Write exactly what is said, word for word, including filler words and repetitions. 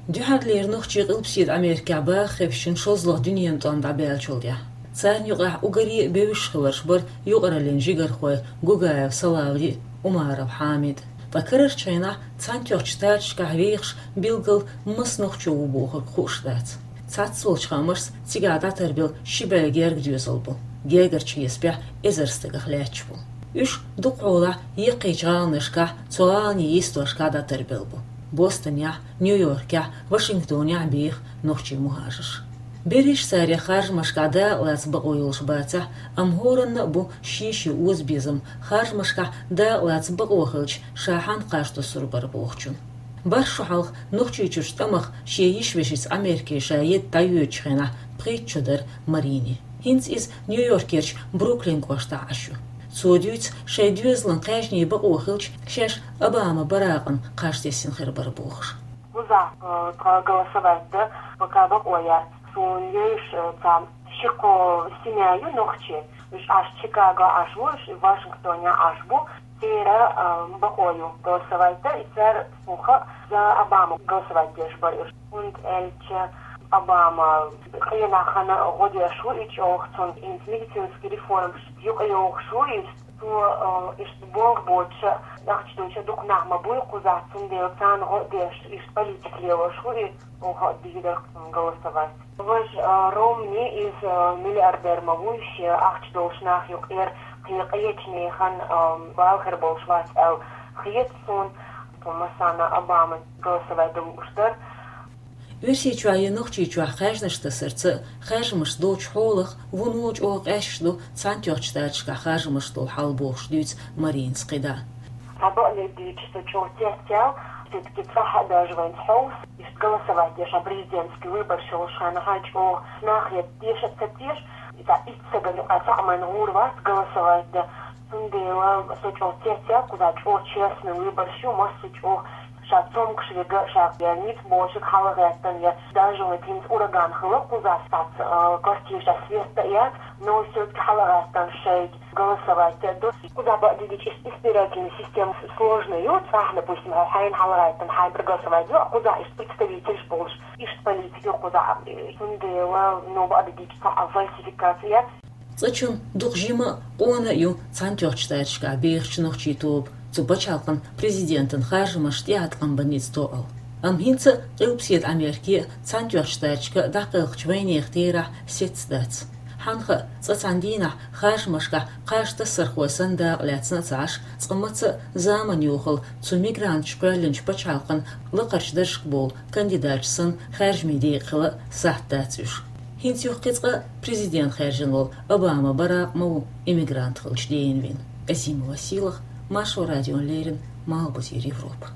Дуьххьарлера нохчий Къилбаседа Америкехь баха хевшина шолгӀа дуьненан тӀом дӀабаьллачул тӀаьхьа. Царна юкъахь уггаре бевзаш хиларш бара юкъараллин жигархой Гугаев Салавди, Умаров Хьамид. Ткъа карарчу хенахь Цхьаьнатоьхначу Штаташкахь вехаш билггал маса нохчо ву бохург хууш дац. Цхьацца волчу хаамашца цигахь дӀатарбелла ши бӀе герга доьзал бу. Гергарчу хьесапехь эзар стагах лаьтташ бу. Уьш дукхахьолахь яккхийчу гӀаланашкахь, цу гӀаланийн йистошкахь дӀатарбелла бу. Бостонехь, Нью-Йоркехь, Вашингтонехь беха нохчий мухӀажарш. Берриш царех харжамашкахь дакъалаца бакъо йолуш бацахь, амма хӀоранна а бу шен-шен озабезам, харжамашкахь дакъалаца бакъо хилча, ша хьанна кхаж туссур бара бохучун. БархӀ шо хьалха Нохчийчуьрчу тӀамах шен йиша-вешица Америке ша едда дӀайоьдучу хенахь пхийтта шо дара Марини. ХӀинца иза Нью-Йоркерчу Бруклин кӀоштахь Ӏаш ю. Цо дуьйцу, шайн доьзалан кхаьжнийн бакъо хилча, шаьш Обама Баракъана кхаж тесна хир бара бохуш. Кхузахь, э, тхан голосовать дан пока бакъо яц. Суна йовзуш, э, цхьа ши-кхо семья ю нохчий. Уьш Ӏаш Чикаго Ӏаш бу, уьш Вашингтоне Ӏаш бу. Церан, э, бакъо ю голосовать дан, и цара, тхуна хаьа, за Обама голосовать деш бара уьш. ХӀунда аьлча Обама къинах хана гӀо деш ву и чӀогӀа, цунна хӀинца медицинский реформаш юкъайохуш ву иза. Цо, э, иштта болх боцуш а, ахча доцуш а дукха нах ма буй кхузахь, цундела царна гӀо а деш, иштта политика лелош ву иза, оха а дийр дара-кх цунна голосовать. Важа, э, Ромни, иза, э, миллиардер ма вуй, шен ахча долуш нах юкъера, кхин къечу нехан, э, бала хир болуш вац аьлла хета суна, тхо массарна Обама голосовать дан лууш дара. Оьрсийчохь я Нохчийчохь хаьржинаш тасарца а, хаьржамаш долчу хьолах а вуно чӀогӀа къаьсташ ду Цхьаьнатоьхначу Штаташкахь харжамаш долу хьал бохуш дуьйцу Маринас кхидӀа. Цхьа бакъдерг дийцича, со чӀогӀа цецъяьлла, все-таки цкъа а даьржина вайн хьовса, иштта голосовать деш, хьан президентский выбораш йолуш хенахь чӀогӀа нах я теша а ца теша, и цхьа итт стагана юкъахь цхьаъ а вайн гӀур вац голосовать дан. Цундела со чӀогӀа цецъяьлла, кхузахь чӀогӀа честный выбораш ю, массо а чӀогӀа ша цомгуш верг а, ша я ницкъ болчерг хьалагӀаьттина, я даже вот хӀинца ураган хилла кхузахь, сац, а, квартирашкахь свет а яц, но все-таки хьалагӀаьттина шайга голосовать а до. Кхузахь бакъдерг дийцича, иштта избирательная система сложная ю, цхьа, допустим, хьо хьайна хьалагӀаьттина хьайн проголосовать до, а кхузахь иштта представителаш болуш, иштта политика ю кхузахь, цундела, ну, бакъдерг дийцича, цхьа а фальсификация яц. Цкъачунна дукха жима а, къона а ю Цхьаьнатоьхначу Штаташкахь бехачу нохчийн тоба, цу пачхьалкхан президентан харжамаш тӀеӀаткъам бан ницкъ тоъал. Амма хӀинца а Къилбаседа Америке а, Цхьаьнатоьхначу Штаташка а дӀакхелхачу вайнехан терахь сецца дац. Хьан хаьа, цкъа цхьана дийнахь харжамашкахь кхаж тассархой санна дакъа лаьцна а ца Ӏаш, цкъа маца а заманан йохалла цу мигранташа кхоьллинчу пачхьалкхан лакхарчу даржашка болу кандидаташ санна хаьржамийн декъа хила а сахьт дац уьш. ХӀинца юха кхин цкъа президент хаьржина волу Обама Баракъ ма ву иммигрант хилча дена вина. Азимова Сийлаха, Маршо радиона леррина, Малхбузера Европа.